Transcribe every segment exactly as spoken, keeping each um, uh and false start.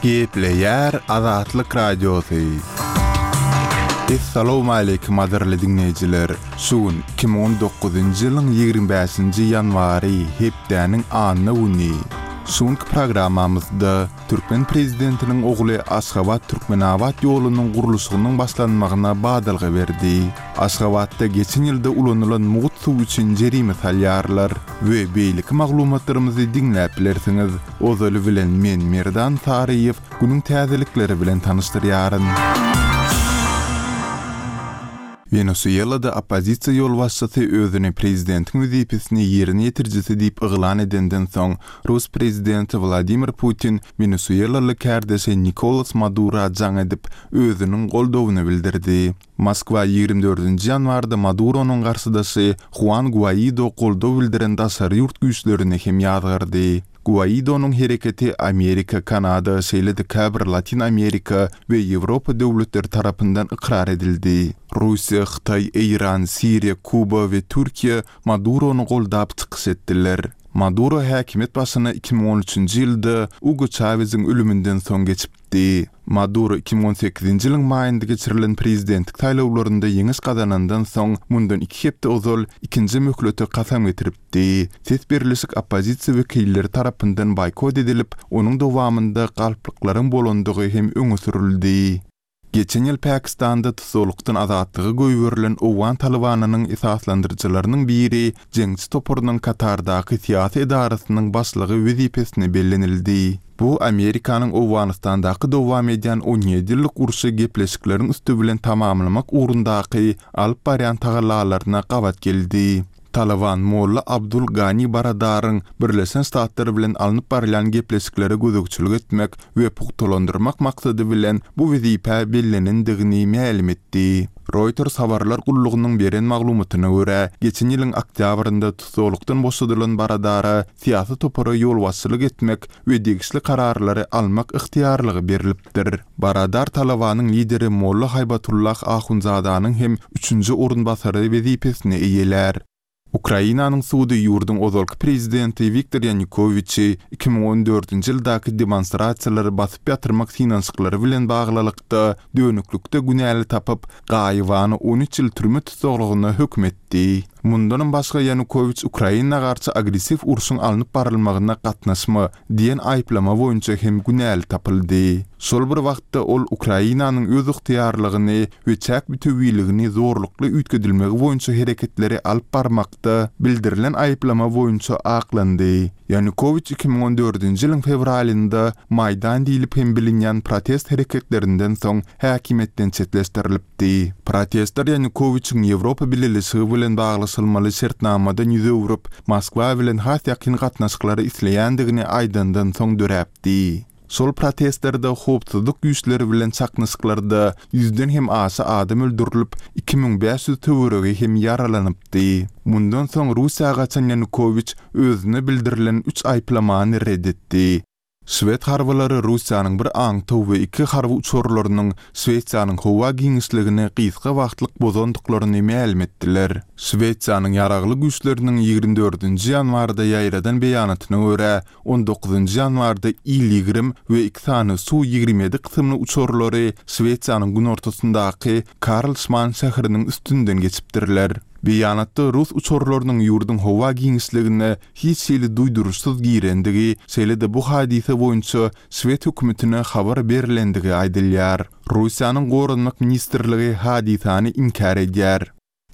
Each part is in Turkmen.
Gepleýär Azatlyk Radiosy. Essalawmaleýkim gadyrly diňleýjiler! Şu gün iki müň on dokuzynjy ýylyň ýigrimi bäşinji ýanwary, hepdäniň anna güni. Şu günki programmamyzda türkmen prezidentiniň ogly Aşgabat-Türkmenabat ýolunyň gurluşygynyň başlanmagyna badalga berdi. Aşgabatda geçen ýylda ulanylan mugt suw üçin jerime salýarlar we beýleki maglumatlarymyzy diňläp bilersiňiz. Ozaly bilen men Merdan Saryýew günüň täzelikleri bilen tanyşdyrýaryn. Wenesuelada oppozisiýa ýolbaşçysy özüni prezidentiň wezipesini ýerine ýetirijisi diýip yglan edenden soň, rus prezidenti Wladimir Putin wenesuelaly kärdeşi Nikolas Madura jaň edip, özüniň goldawyny bildirdi. Moskwa ýigrimi dördünji ýanwarda Maduronyň garşydaşy Huan Guaido goldaw bildiren daşary ýurt güýçlerini hem ýazgardy. Guaidonyň hereketi Amerika, Kanada, şeýle-de käbir Latyn Amerika we Ýewropa döwletleri tarapyndan ykrar edildi. Russiýa, Hytaý, Eýran, Siriýa, Kuba we Türkiýe Madurony goldap çykyş etdiler. Maduro häkimiýet başyna iki müň on üçünji ýylda Ugo Çaweziň ölüminden soň geçipdi. Maduro iki müň on sekizinji ýylyň maýynda geçirilen prezidentlik saýlawlarynda ýeňiş gazanandan soň mundan iki hepde ozal ikinji möhlete kasam getiripdi. Ses berlişik oppozisiýa wekilleri tarapyndan boýkot edilip, onuň dowamynda galplyklaryň bolandygy hem öňe sürüldi. Geçen ýyl Pakistanda tussaglykdan azatlyga goýberilen owgan Talybanynyň esaslandyryjylarynyň biri jeňçi toparynyň Katardaky syýasy edarasynyň başlygy wezipesine bellenildi. Bu Amerikanyň Owganystandaky dowam edýän on ýedi ýyllyk urşy gepleşikleriň üsti bilen tamamlamak ugrundaky alyp barýan tagallalaryna gabat geldi. Talyban Molla Abdul Gani Baradaryň Birleşen Ştatlar bilen alnyp barylýan gepleşiklere gözegçilik etmek we pugtalandyrmak maksady bilen bu wezipä bellenendigini mälim etdi. Reuters habarlar gullugynyň beren maglumatyna görä, geçen ýylyň oktýabrynda tussaglykdan boşadylan Baradara syýasy topara ýolbaşçylyk etmek we degişli kararlary almak ygtyýarlygy berlipdir. Baradar Talybanyň lideri Molla Haýbatullah Ahundzadanyň hem üçünji orunbasary wezipesini eýelär. Ukrainanyň sudy ýurduň ozalky prezidenti Wiktor Ýanukowiçi iki müň on dördünji ýyldaky demonstrasiýalary basyp ýatyrmak synanyşyklary bilen baglylykda dönüklikde günäli tapyp, gaýybana on üç ýyl türme tussaglygyna höküm etdi. Mundanam başga Ýanukowiç Ukraina garşy agressiw urşuň alnyp barylmagyna gatnaşma diýen aýyplama boýunça hem günäli tapyldy. Şol bir wagtda ol Ukrainanyň özygtyýarlygyny we çäk bütewiligini zorlukly üýtgedilmegi boýunça hereketleri alyp barmakda bildirilen aýyplama boýunça aklandy. Ýanukowiç iki müň on dördünji ýylyň fewralynda Maýdan diýlip hem bilinýän protest hereketlerinden soň häkimiýetden çetleşdirilipdi. Protestler Ýanukowiçiň Ýewropa Bileleşigi bilen baglaşylmaly şertnamadan ýüz öwrüp, Moskwa bilen has ýakyn gatnaşyklary isleýändigini aýdandan soň döräpdi. Şol protestlerde howpsuzlyk güýçleri bilen çaknyşyklarda ýüzden hem aşa adam öldürilip, iki müň bäş ýüz töweregi hem ýaralanypdy. Mundan soň Russiýa gaçan Ýanukowiç özüne bildirilen üç aýyplamany red etdi. Şwed harbylary Russiýanyň bir aňtaw we iki harby uçarlarynyň Şwesiýanyň howa giňişligini gysga wagtlyk bozandyklaryny mälim etdiler. Şwesiýanyň ýaragly güýçleriniň ýigrimi dördünji ýanwarda ýaýradan beýanatyna görä, on dokuzynjy ýanwarda Il ýigrimi we iki sany Su ýigrimi ýedi kysymly uçarlary Şwesiýanyň günortasyndaky Karlsman şäheriniň üstünden geçipdirler. Beýanatda rus uçarlarynyň ýurduň howa giňişligine hiç hili duýduryşsyz girendigi, şeýle-de bu hadysa boýunça şwed hökümetine habar berlendigi aýdylýar. Russiýanyň Goranmak ministrligi hadysany inkär edýär.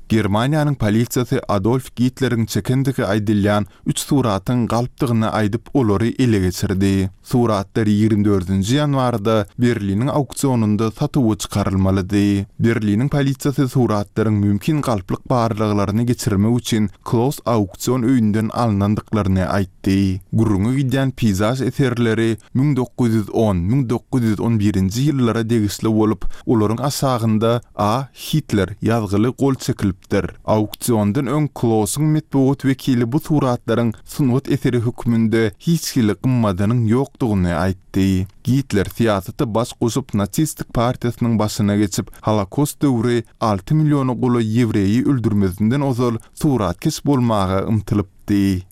Germaniýanyň polisiýasy Adolf Gitleriň çekendigi aýdylýan üç suratyň galpdygyny aýdyp, olary ele geçirdi. Suratlar ýigrimi dördünji ýanwarda Berliniň auksionynda satuwa çykarylmalydy. Berliniň polisiýasy suratlaryň mümkin galplyk barlaglaryny geçirmek üçin Kloss auksion öýünden alnandyklaryny aýtdy. Gürrüňi gidýän peýzaž eserleri müň dokuz ýüz on, müň dokuz ýüz on birinji ýyllara degişli bolup, olaryň aşagynda A. Hitler ýazgyly gol çekilipdir. Auksiondan öň Klossyň metbugat wekili bu suratlaryň sungat eseri hökmünde hiç hili gymmadynyň ýokdugyny aýtdy. Gitler syýasata baş goşup nasistik partiýasynyň başyna geçip, Holokost döwri alty milliona golaý ýewreýi öldürmezinden ozal suratkeş bolmaga ymtylypdy.